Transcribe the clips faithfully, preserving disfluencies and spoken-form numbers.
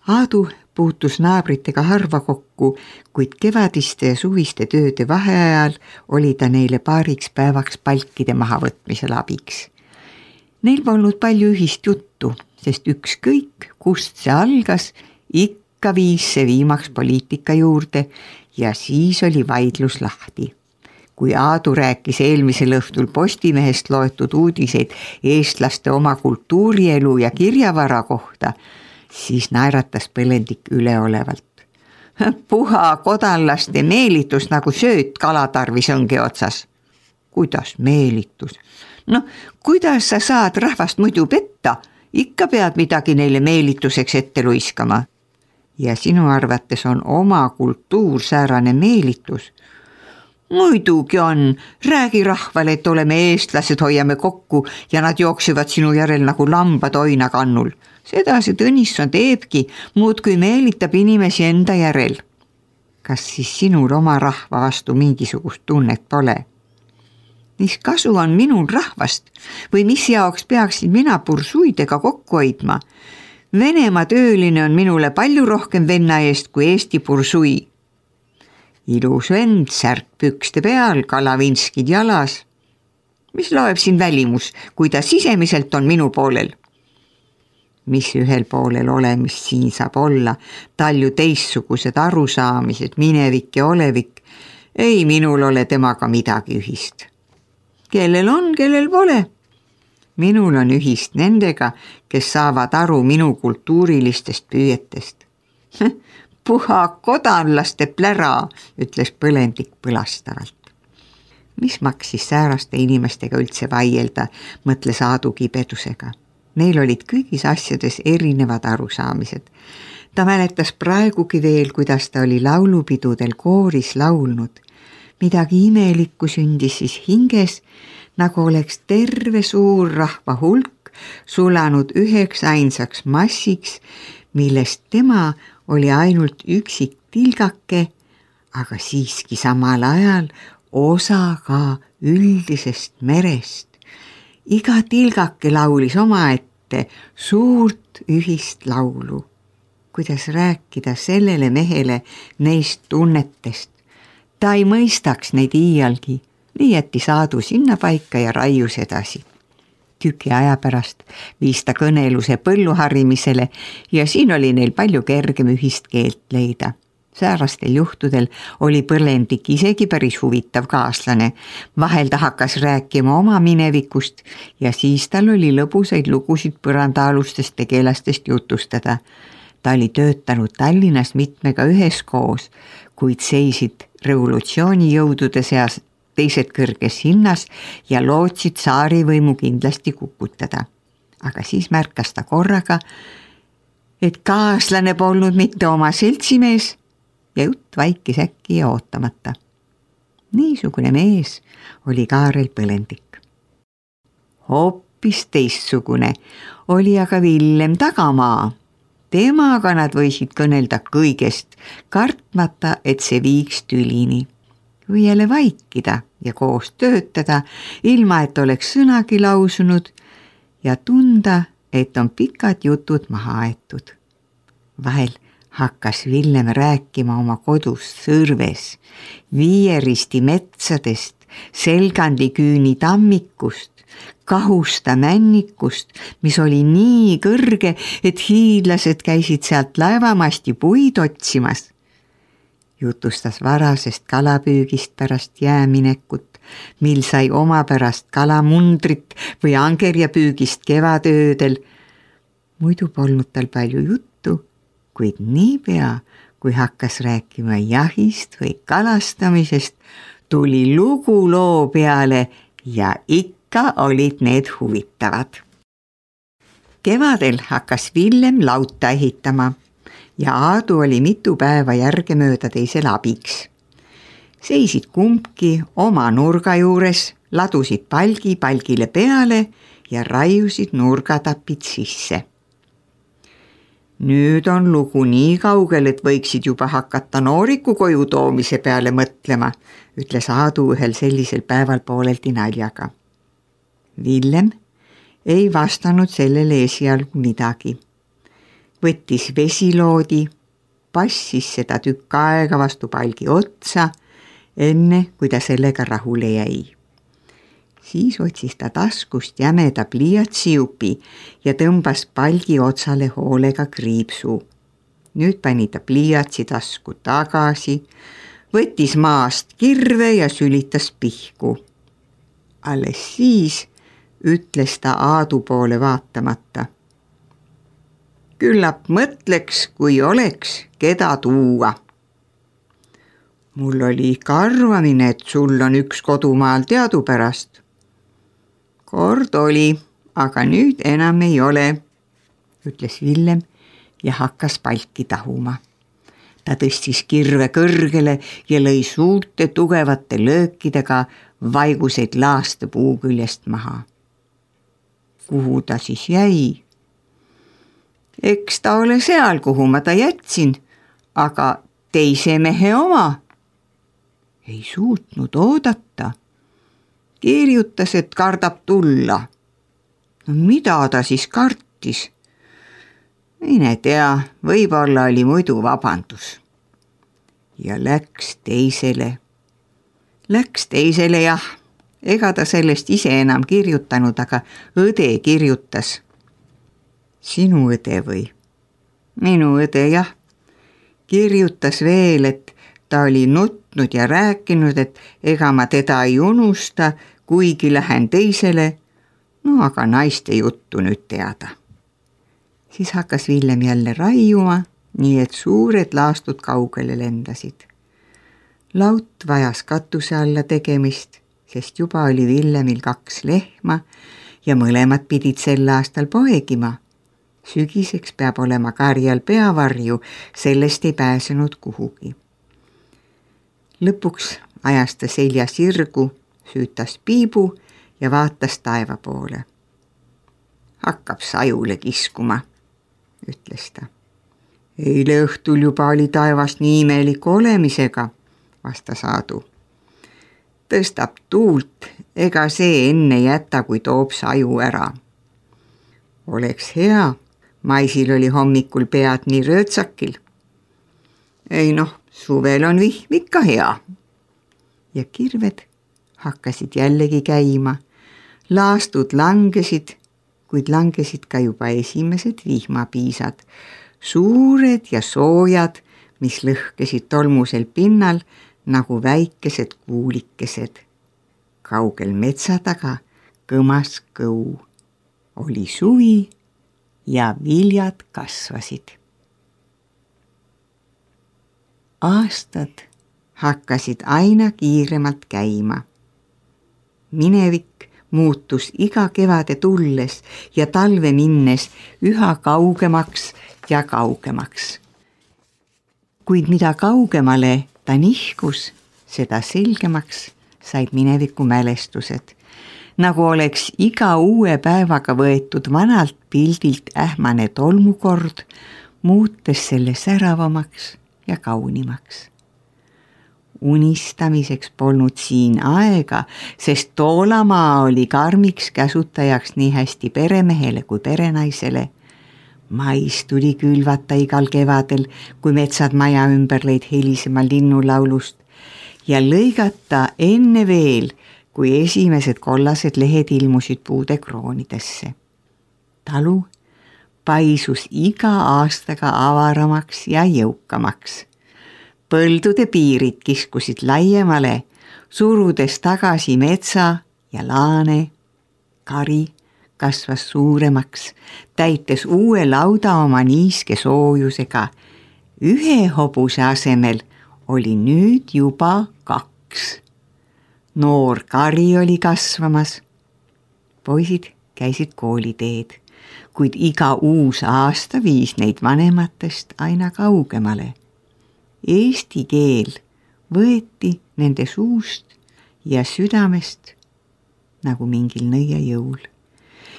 Aadu puutus naabritega harva kokku, kuid kevadiste ja suviste tööde vaheajal oli ta neile paariks päevaks palkide mahavõtmisel abiks. Neil polnud palju ühist juttu, sest ükskõik, kust see algas, ikka viis see viimaks poliitika juurde ja siis oli vaidlus lahti. Kui Aadu rääkis eelmisel õhtul Postimehest loetud uudiseid eestlaste oma kultuurielu ja kirjavara kohta, siis naeratas Põlendik üleolevalt. Puha kodanlaste meelitus nagu sööt kalatarvis õnge otsas. Kuidas meelitus? No, kuidas sa saad rahvast muidu petta? Ikka pead midagi neile meelituseks ette luiskama. Ja sinu arvates on oma kultuur säärane meelitus? Muidugi on. Räägi rahvale, et oleme eestlased, hoiame kokku ja nad jooksivad sinu järel nagu lambad oinakannul. Seda see Tõnisson teebki, muud kui meelitab inimesi enda järel. Kas siis sinul oma rahva vastu mingisugust tunnet pole? Mis kasu on minul rahvast või mis jaoks peaksin mina bursuidega kokku hoidma? Venemaa tööline on minule palju rohkem venna eest kui Eesti bursui. Ilus vend, särk pükste peal, kalavinskid jalas. Mis loeb siin välimus, kui ta sisemiselt on minu poolel? Mis ühel poolel olemist siin saab olla, talju teissugused arusaamised, minevik ja olevik, ei minul ole temaga midagi ühist. Kellel on, kellel pole? Minul on ühist nendega, kes saavad aru minu kultuurilistest püüetest. Puha kodanlaste plära, ütles Põlendik põlastavalt. Mis maksis sääraste inimestega üldse vaielda, mõtles Aadu kibedusega. Neil olid kõigis asjades erinevad arusaamised. Ta mäletas praegugi veel, kuidas ta oli laulupidudel kooris laulnud. Midagi imelikku sündis siis hinges, nagu oleks terve suur rahva hulk sulanud üheks ainsaks massiks, millest tema oli ainult üksik tilgake, aga siiski samal ajal osa ka üldisest merest. Iga tilgake laulis omaette suurt ühist laulu. Kuidas rääkida sellele mehele neist tunnetest? Ta ei mõistaks neid iialgi, nii jättis Aadu sinna paika ja raius edasi. Tüki aja pärast viis ta kõneluse põlluharimisele ja siin oli neil palju kergem ühist keelt leida. Säärastel juhtudel oli Põlendik isegi päris huvitav kaaslane. Vahel ta hakkas rääkima oma minevikust ja siis tal oli lõbusaid lugusid põrandaalustest tegelastest jutustada. Ta oli töötanud Tallinnas mitmega üheskoos, kuid seisid revolutsioonijõudude seas teised kõrges hinnas ja lootsid saarivõimu kindlasti kukutada. Aga siis märkas ta korraga, et kaaslane polnud mitte oma seltsimees ja jutt vaikis äkki ja ootamata. Niisugune mees oli Kaarel Põlendik. Hoopis teissugune oli aga Villem Tagamaa. Temaga nad võisid kõnelda kõigest, kartmata, et see viiks tülini. Või jälle vaikida ja koos töötada, ilma et oleks sõnagi lausunud ja tunda, et on pikad jutud maha aetud. Vahel hakkas Villem rääkima oma kodust Sõrves, Viieristi metsadest, Selgandiküüni tammikust, Kahusta männikust, mis oli nii kõrge, et hiidlased käisid sealt laevamasti puid otsimas. Jutustas varasest kalapüügist pärast jääminekut, mil sai oma pärast kalamundrit või angerjapüügist kevadöödel. Muidu polnud tal palju juttu, kuid niipea, kui hakkas rääkima jahist või kalastamisest, tuli lugu loo peale ja ikka olid need huvitavad. Kevadel hakkas Villem lauta ehitama ja Aadu oli mitu päeva järgemööda teisel abiks. Seisid kumbki oma nurga juures, ladusid palgi palgile peale ja raiusid nurgatapid sisse. Nüüd on lugu nii kaugel, et võiksid juba hakata nooriku koju toomise peale mõtlema, ütles Aadu ühel sellisel päeval pooleldi naljaga. Villem ei vastanud sellele esialgu midagi. võttis vesiloodi, passis seda tükk aega vastu palgi otsa, enne kui ta sellega rahule jäi. Siis otsis ta taskust jämeda pliiatsijupi ja tõmbas palgi otsale hoolega kriipsu. Nüüd pani ta pliiatsi tasku tagasi, võttis maast kirve ja sülitas pihku. Alles siis ütles ta Aadu poole vaatamata. Küllap mõtleks, kui oleks, keda tuua. Mul oli ikka arvamine, et sul on üks kodumaal teadupärast. Kord oli, aga nüüd enam ei ole, ütles Villem ja hakkas palki tahuma. Ta tõstis kirve kõrgele ja lõi suurte tugevate löökidega vaiguseid laaste puu küljest maha. Kuhu ta siis jäi? Eks ta ole seal, kuhu ma ta jätsin, aga teise mehe oma. Ei suutnud oodata. Kirjutas, et kardab tulla. No mida ta siis kartis? Mine tea, võib-olla oli muidu vabandus. Ja läks teisele. Läks teisele jah, ega ta sellest ise enam kirjutanud, aga õde kirjutas. Sinu õde või? Minu õde jah. Kirjutas veel, et ta oli nutnud ja rääkinud, et ega ma teda ei unusta, kuigi lähen teisele, no aga naiste juttu nüüd teada. Siis hakkas Villem jälle raiuma, nii et suured laastud kaugele lendasid. Laut vajas katuse alla tegemist, sest juba oli Villemil kaks lehma ja mõlemad pidid sel aastal poegima. Sügiseks peab olema karjal peavarju, sellest ei pääsenud kuhugi. Lõpuks ajas ta selja sirgu, süütas piibu ja vaatas taeva poole. Hakkab sajule kiskuma, ütles ta. Eile õhtul juba oli taevas nii imeliku olemisega, vastas Aadu. Tõstab tuult, ega see enne jäta, kui toob saju ära. Oleks hea, maisil oli hommikul pead nii röötsakil. Ei noh, suvel on vihm ikka hea. Ja kirved hakkasid jällegi käima. Laastud langesid, kuid langesid ka juba esimesed vihmapiisad. Suured ja soojad, mis lõhkesid tolmusel pinnal nagu väikesed kuulikesed. Kaugel metsa taga kõmas kõu. Oli suvi ja viljad kasvasid. Aastad hakkasid aina kiiremalt käima. Minevik muutus iga kevade tulles ja talve minnes üha kaugemaks ja kaugemaks. Kuid mida kaugemale ta nihkus, seda selgemaks said mineviku mälestused, nagu oleks iga uue päevaga võetud vanalt pildilt ähmane tolmukord, muutes selle säravamaks ja kaunimaks. Unistamiseks polnud siin aega, sest toolamaa oli karmiks käsutajaks nii hästi peremehele kui perenaisele. Mais tuli külvata igal kevadel, kui metsad maja ümber lõid helisema linnulaulust ja lõigata enne veel, kui esimesed kollased lehed ilmusid puude kroonidesse. Talu paisus iga aastaga avaramaks ja jõukamaks. Põldude piirid kiskusid laiemale, surudes tagasi metsa ja laane. Kari kasvas suuremaks, täites uue lauda oma niiske soojusega. Ühe hobuse asemel oli nüüd juba kaks. Noor kari oli kasvamas. Poisid käisid kooliteed, kuid iga uus aasta viis neid vanematest aina kaugemale. Eesti keel võeti nende suust ja südamest nagu mingil nõiajõul.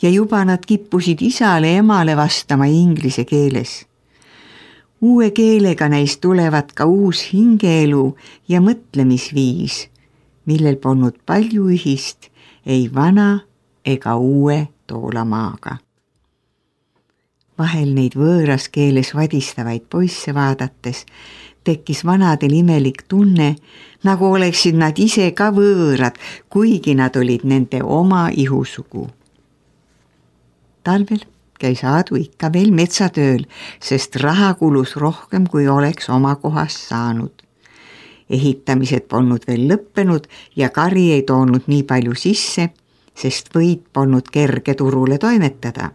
Ja juba nad kippusid isale emale vastama inglise keeles. Uue keelega neist tulevad ka uus hingeelu ja mõtlemisviis, millel polnud palju ühist ei vana ega uue toolamaaga. Vahel neid võõras keeles vadistavaid poisse vaadates tekkis vanadel imelik tunne, nagu oleksid nad ise ka võõrad, kuigi nad olid nende oma ihusugu. Talvel käis Aadu ikka veel metsatööl, sest raha kulus rohkem, kui oleks oma kohast saanud. Ehitamised polnud veel lõppenud ja kari ei toonud nii palju sisse, sest võit polnud kerge turule toimetada.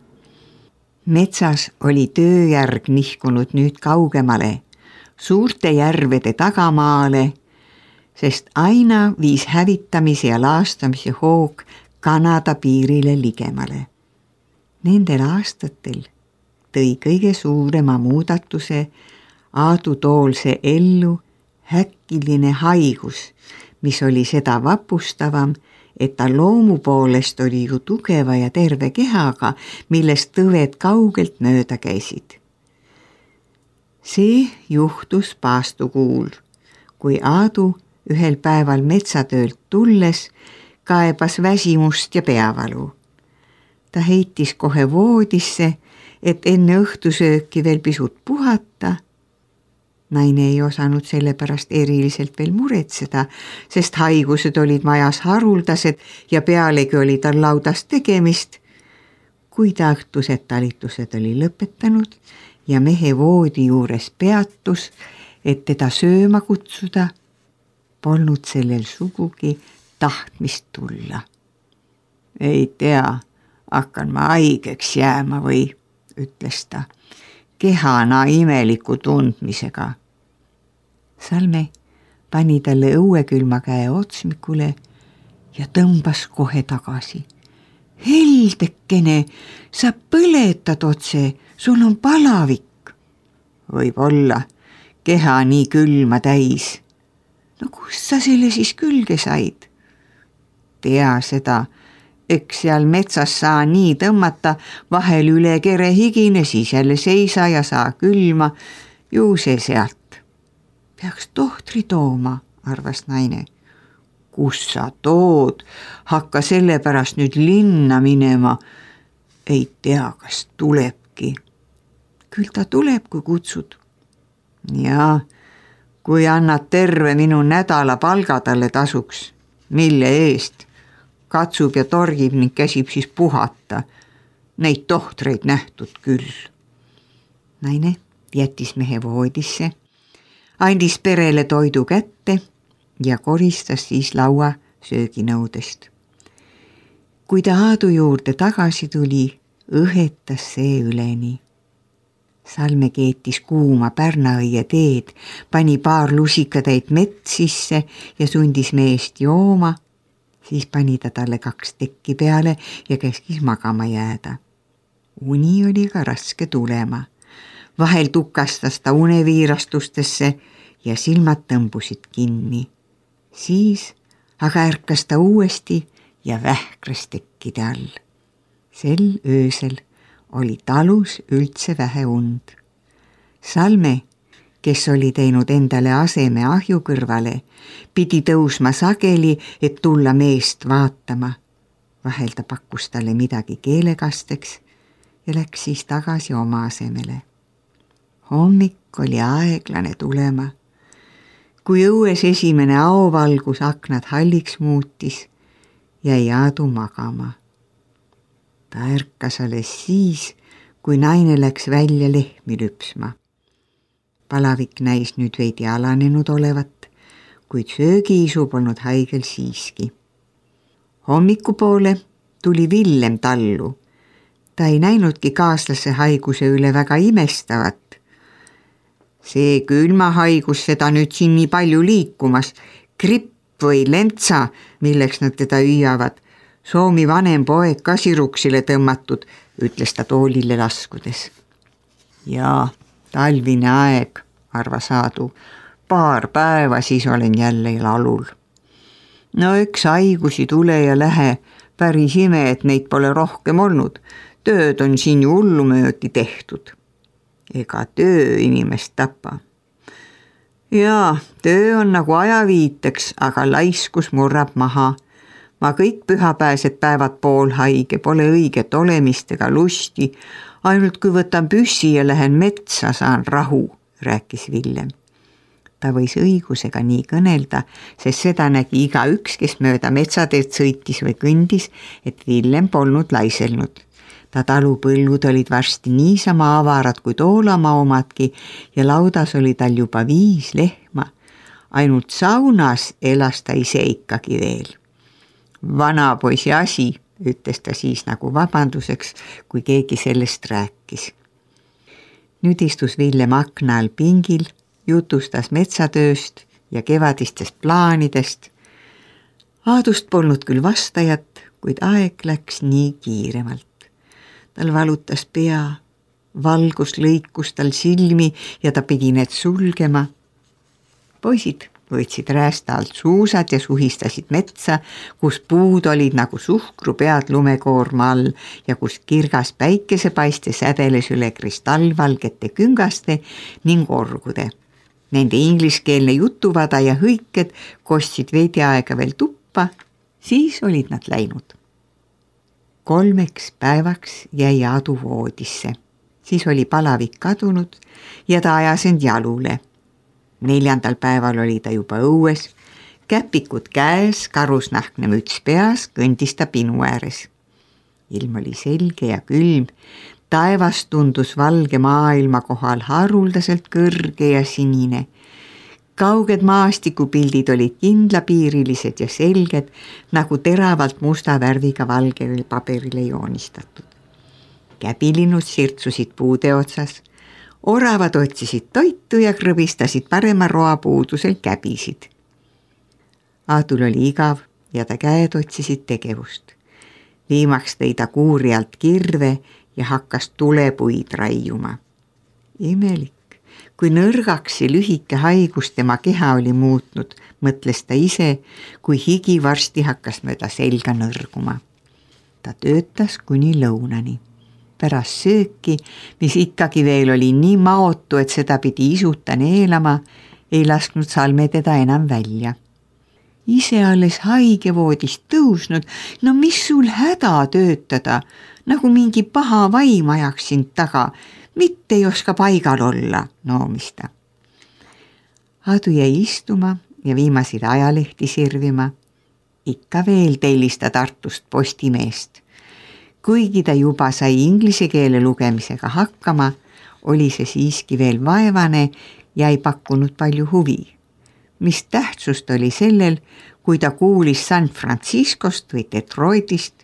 Metsas oli tööjärg nihkunud nüüd kaugemale, suurte järvede tagamaale, sest aina viis hävitamise ja laastamise hoog Kanada piirile ligemale. Nendel aastatel tõi kõige suurema muudatuse Aadu Toolse ellu häkkiline haigus, mis oli seda vapustavam, et ta loomu poolest oli ju tugeva ja terve kehaga, millest tõved kaugelt mööda käisid. See juhtus paastukuul, kui Aadu ühel päeval metsatöölt tulles kaebas väsimust ja peavalu. Ta heitis kohe voodisse, et enne õhtusööki veel pisut puhata. Naine ei osanud selle pärast eriliselt veel muretseda, sest haigused olid majas haruldased ja pealegi oli tal laudas tegemist. Kui ta õhtused talitused oli lõpetanud ja mehe voodi juures peatus, et teda sööma kutsuda, polnud sellel sugugi tahtmist tulla. Ei tea, hakkan ma haigeks jääma või, ütles ta, kehana imeliku tundmisega. Salme pani talle õuekülma käe otsmikule ja tõmbas kohe tagasi. Heldekene, sa põletad otse, sul on palavik. Võib olla, keha nii külma täis. No kust sa selle siis külge said? Tea seda, eks seal metsas saa nii tõmmata, vahel üle kere higine, siis jälle seisa ja saa külma, ju see sealt. Peaks tohtri tooma, arvas naine. Kus sa tood? Hakka selle pärast nüüd linna minema. Ei tea, kas tulebki. Küll ta tuleb, kui kutsud. Ja, kui annad terve minu nädala palga talle tasuks, mille eest, katsub ja torgib ning käsib siis puhata. Neid tohtreid nähtud küll. Naine jättis mehe voodisse, andis perele toidu kätte ja koristas siis laua sööginõudest. Kui ta Aadu juurde tagasi tuli, õhetas see üleni. Salme keetis kuuma pärnaõie teed, pani paar lusikatäit mett sisse ja sundis meest jooma, siis pani ta talle kaks tekki peale ja käskis magama jääda. Uni oli ka raske tulema. Vahel tukastas ta uneviirastustesse ja silmad tõmbusid kinni. Siis aga ärkas ta uuesti ja vähkras tekkide all. Sel öösel oli talus üldse vähe und. Salme, kes oli teinud endale aseme ahju kõrvale, pidi tõusma sageli, et tulla meest vaatama. Vahel ta pakkus talle midagi keelekasteks ja läks siis tagasi oma asemele. Hommik oli aeglane tulema. Kui õues esimene aovalgus aknad halliks muutis, jäi Aadu magama. Ta ärkas alles siis, kui naine läks välja lehmi lüpsma. Palavik näis nüüd veidi alanenud olevat, kuid söögiisu polnud haigel siiski. Hommikupoole tuli Villem tallu. Ta ei näinudki kaaslase haiguse üle väga imestavat. See külmahaigus seda nüüd siin nii palju liikumas, gripp või lentsa, milleks nad teda hüüavad. Soomi vanem poeg ka siruksile tõmmatud, ütles ta toolile laskudes. Jaa, talvine aeg, arvas Aadu. Paar päeva siis olen jälle lalul. No üks haigusi tule ja lähe, päris ime, et neid pole rohkem olnud. Tööd on siin ju hullumöödi tehtud. Ega töö inimest tapa. Jaa, töö on nagu ajaviiteks, aga laiskus murrab maha. Ma kõik pühapääsed päevad poolhaige, pole õiget olemist ega lusti, ainult kui võtan püssi ja lähen metsa, saan rahu, rääkis Villem. Ta võis õigusega nii kõnelda, sest seda nägi iga üks, kes mööda metsateed sõitis või kõndis, et Villem polnud laiselnud. Ta talupõllud olid varsti niisama avarad kui Toolamaa omadki ja laudas oli tal juba viis lehma. Ainult saunas elas ta ise ikkagi veel. Vana poisi asi, ütles ta siis nagu vabanduseks, kui keegi sellest rääkis. Nüüd istus Villem akna all pingil, jutustas metsatööst ja kevadistest plaanidest. Aadust polnud küll vastajat, kuid aeg läks nii kiiremalt. Tal valutas pea, valgus lõikus tal silmi ja ta pidi need sulgema. Poisid võtsid räästa alt suusad ja suhistasid metsa, kus puud olid nagu suhkru pead lumekoorma all ja kus kirgas päikesepaiste sädeles üle kristallvalgete küngaste ning orgude. Nende ingliskeelne jutuvada ja hõiked kostsid veidi aega veel tuppa, siis olid nad läinud. Kolmeks päevaks jäi Aadu voodisse, siis oli palavik kadunud ja ta ajas end jalule. Neljandal päeval oli ta juba õues, käpikud käes, karusnahkne müts peas, kõndis ta pinu ääres. Ilm oli selge ja külm, taevas tundus valge maailma kohal haruldaselt kõrge ja sinine. Kauged maastikupildid olid kindlapiirilised ja selged, nagu teravalt musta värviga valgele paberile joonistatud. Käbilinnud sirtsusid puude otsas, oravad otsisid toitu ja krõbistasid parema roa puudusel käbisid. Aadul oli igav ja ta käed otsisid tegevust. Viimaks tõi ta kuuri alt kirve ja hakkas tulepuid raiuma. Imelik, kui nõrgaks ja lühike haigus tema keha oli muutnud, mõtles ta ise, kui higi varsti hakkas mööda selga nõrguma. Ta töötas kuni lõunani. Pärast sööki, mis ikkagi veel oli nii maotu, et seda pidi isuta neelama, ei lasknud Salme teda enam välja. Ise alles haigevoodist tõusnud, no mis sul häda töötada, nagu mingi paha vaim ajaks sind taga, mitte ei oska paigal olla, noomis ta. Aadu jäi istuma ja viimasid ajalehti sirvima. Ikka veel tellis ta Tartust Postimeest. Kuigi ta juba sai inglise keele lugemisega hakkama, oli see siiski veel vaevane ja ei pakkunud palju huvi. Mis tähtsust oli sellel, kui ta kuulis San Franciscost või Detroitist,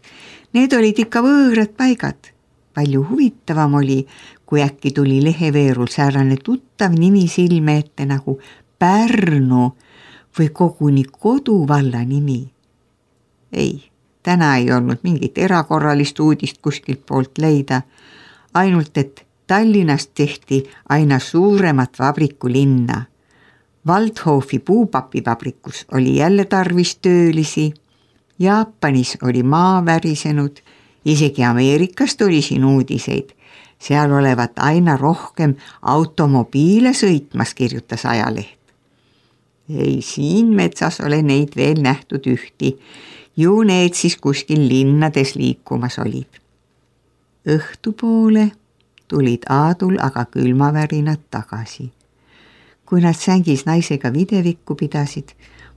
need olid ikka võõrad paigad. Palju huvitavam oli, kui äkki tuli leheveerul säärane tuttav nimi silme ette nagu Pärnu või koguni koduvalla nimi. Ei, täna ei olnud mingit erakorralist uudist kuskilt poolt leida, ainult et Tallinnast tehti aina suuremat vabrikulinna. Waldhofi puupapivabrikus oli jälle tarvis töölisi, Jaapanis oli maa värisenud, isegi Ameerikast oli siin uudiseid, seal olevat aina rohkem automobiile sõitmas, kirjutas ajaleht. Ei, siin metsas ole neid veel nähtud ühti, ju need siis kuskil linnades liikumas olid. Õhtupoole tulid Aadul aga külmavärinad tagasi. Kui nad sängis naisega videvikku pidasid,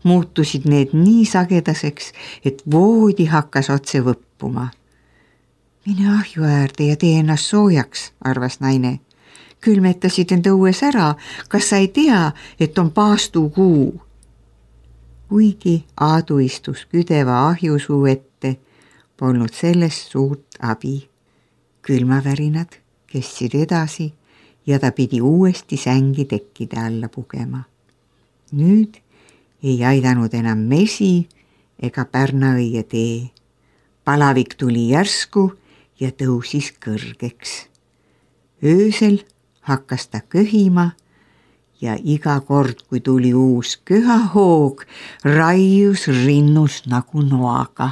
muutusid need nii sagedaseks, et voodi hakkas otse võppuma. Mine ahju äärde ja tee ennast soojaks, arvas naine. Külmetasid end õues ära, kas sa ei tea, et on paastukuu? Kuigi Aadu istus küdeva ahjusuu ette, polnud sellest suurt abi. Külmavärinad kestsid edasi ja ta pidi uuesti sängi tekkide alla pugema. Nüüd ei aidanud enam mesi ega Pärnaõie tee. Palavik tuli järsku ja tõusis kõrgeks. Öösel hakkas ta köhima ja iga kord, kui tuli uus köhahoog, raius rinnus nagu noaga.